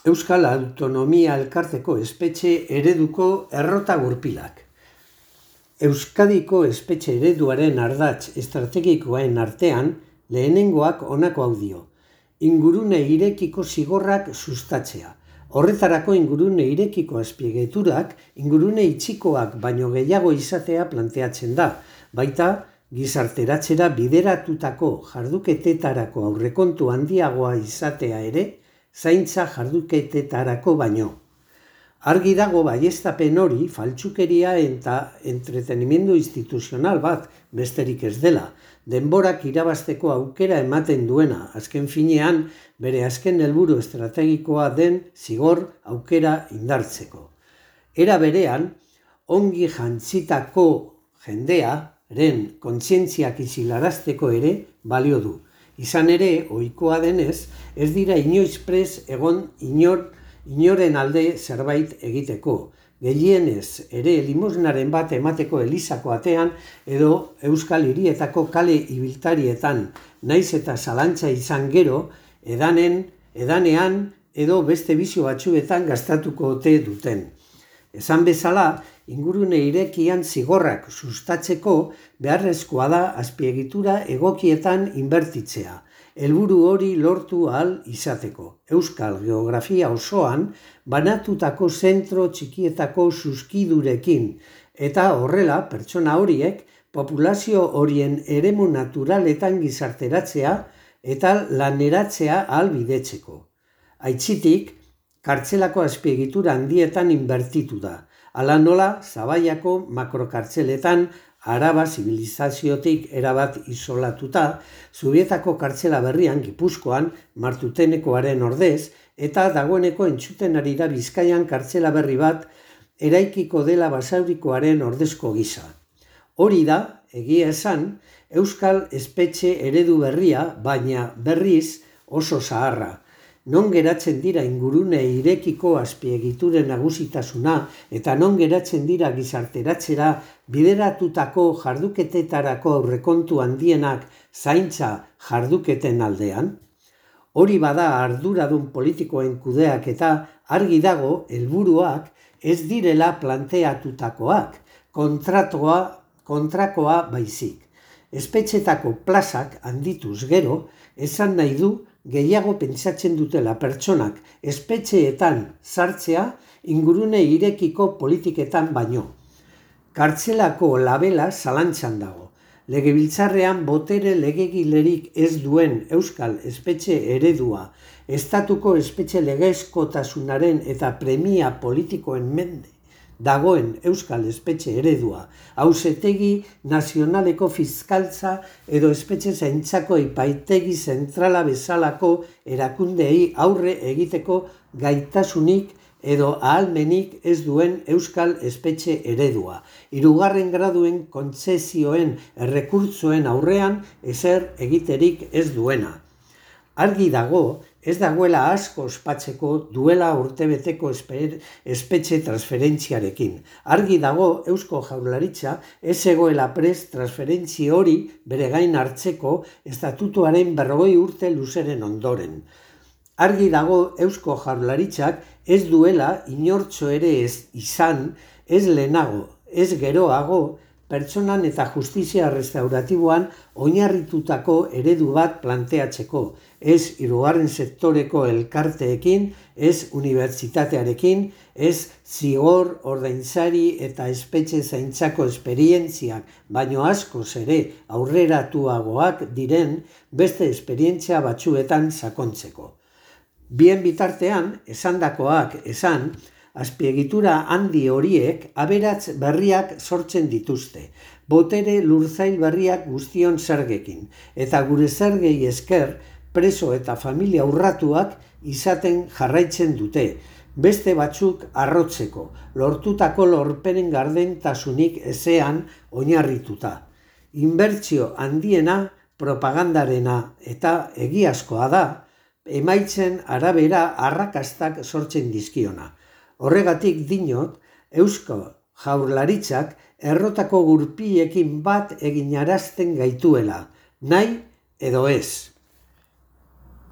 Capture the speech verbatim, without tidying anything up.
Euskal Autonomia Elkarteko espetxe ereduko errota gurpilak. Euskadiko espetxe ereduaren ardatz estrategikoen artean lehenengoak honako hau dio. Ingurune irekiko zigorrak sustatzea. Horretarako ingurune irekiko azpiegiturak ingurune itxikoak baino gehiago izatea planteatzen da, baita gizarteratzera bideratutako jarduketetarako aurrekontu handiagoa izatea ere, zaintza jarduketetarako baino. Argi dago baieztapen hori faltsukeria eta entretenimendu instituzional bat besterik ez dela, denborak irabazteko aukera ematen duena, azken finean bere azken helburu estrategikoa den zigor aukera indartzeko. Era berean, ongi jantzitako jendearen kontzientziak isilarazteko ere balio du. Izan ere, ohikoa denez, ez dira inoiz prest egon inor, inoren alde zerbait egiteko. Gehienez ere limosnaren bat emateko elizako atean edo euskal hirietako kale ibiltarietan, naiz eta zalantza izan gero, edanen, edanean edo beste bizio batzuetan gastatuko ote duten. Esan bezala, ingurune irekian zigorrak sustatzeko beharrezkoa da azpiegitura egokietan inbertitzea, helburu hori lortu ahal izateko. Euskal geografia osoan banatutako zentro txikietako zuzkidurekin eta horrela pertsona horiek populazio horien eremu naturaletan gizarteratzea eta laneratzea ahalbidetzeko. Aitzitik, kartzelako azpiegitura handietan inbertitu da. Hala nola, Zabaiako makrokartzeletan Araba zibilizaziotik erabat isolatuta, Zubietako kartzela berrian Gipuzkoan Martutenekoaren ordez, eta dagoeneko entzuten ari da Bizkaian kartzela berri bat eraikiko dela Basaurikoaren ordezko gisa. Hori da, egia esan, Euskal espetxe eredu berria, baina berriz oso zaharra. Non geratzen dira ingurune irekiko azpiegituren nagusitasuna eta non geratzen dira gizarteratzera bideratutako jarduketetarako aurrekontu handienak zaintza jarduketen aldean? Hori bada arduradun politikoen kudeak eta argi dago helburuak ez direla planteatutakoak, kontratua, kontrakoa baizik. Espetxetako plazak handituz gero, esan nahi du gehiago pentsatzen dutela pertsonak espetxeetan sartzea ingurune irekiko politiketan baino. Kartzelako labela zalantzan dago. Legebiltzarrean botere legegilerik ez duen euskal espetxe eredua, estatuko espetxe legezkotasunaren eta premia politikoen mende dagoen euskal espetxe eredua, auzitegi nazionaleko fiskaltza edo espetxe zaintzako epaitegi zentrala bezalako erakundeei aurre egiteko gaitasunik edo ahalmenik ez duen euskal espetxe eredua. Hirugarren graduen kontzesioen errekurtsoen aurrean ezer egiterik ez duena. Argi dago, ez dagoela asko ospatzeko duela urtebeteko espetxe transferentziarekin. Argi dago Eusko Jaurlaritza ez egoela prest transferentzi hori bere gain hartzeko estatutuaren berrogei urte luzeren ondoren. Argi dago Eusko Jaurlaritzak ez duela inortxo ere ez izan, ez lehenago, ez geroago, pertsonan eta justizia restauratiboan oinarritutako eredu bat planteatzeko, ez hirugarren sektoreko elkarteekin, ez unibertsitatearekin, ez zigor, ordainsari eta espetxe zaintzako esperientziak, baino askoz ere aurreratuagoak diren beste esperientzia batzuetan sakontzeko. Bien bitartean, esandakoak esan, azpiegitura handi horiek aberats berriak sortzen dituzte, botere lurzail berriak guztion zergekin, eta gure zergei esker preso eta familia urratuak izaten jarraitzen dute, beste batzuk arrotzeko, lortutako lorpenen gardentasunik ezean oinarrituta. Inbertsio handiena propagandarena eta egiazkoa da, emaitzen arabera arrakastak sortzen dizkiona. Horregatik dinot, Eusko Jaurlaritzak errotako gurpiekin bat eginarazten gaituela, nahi edo ez.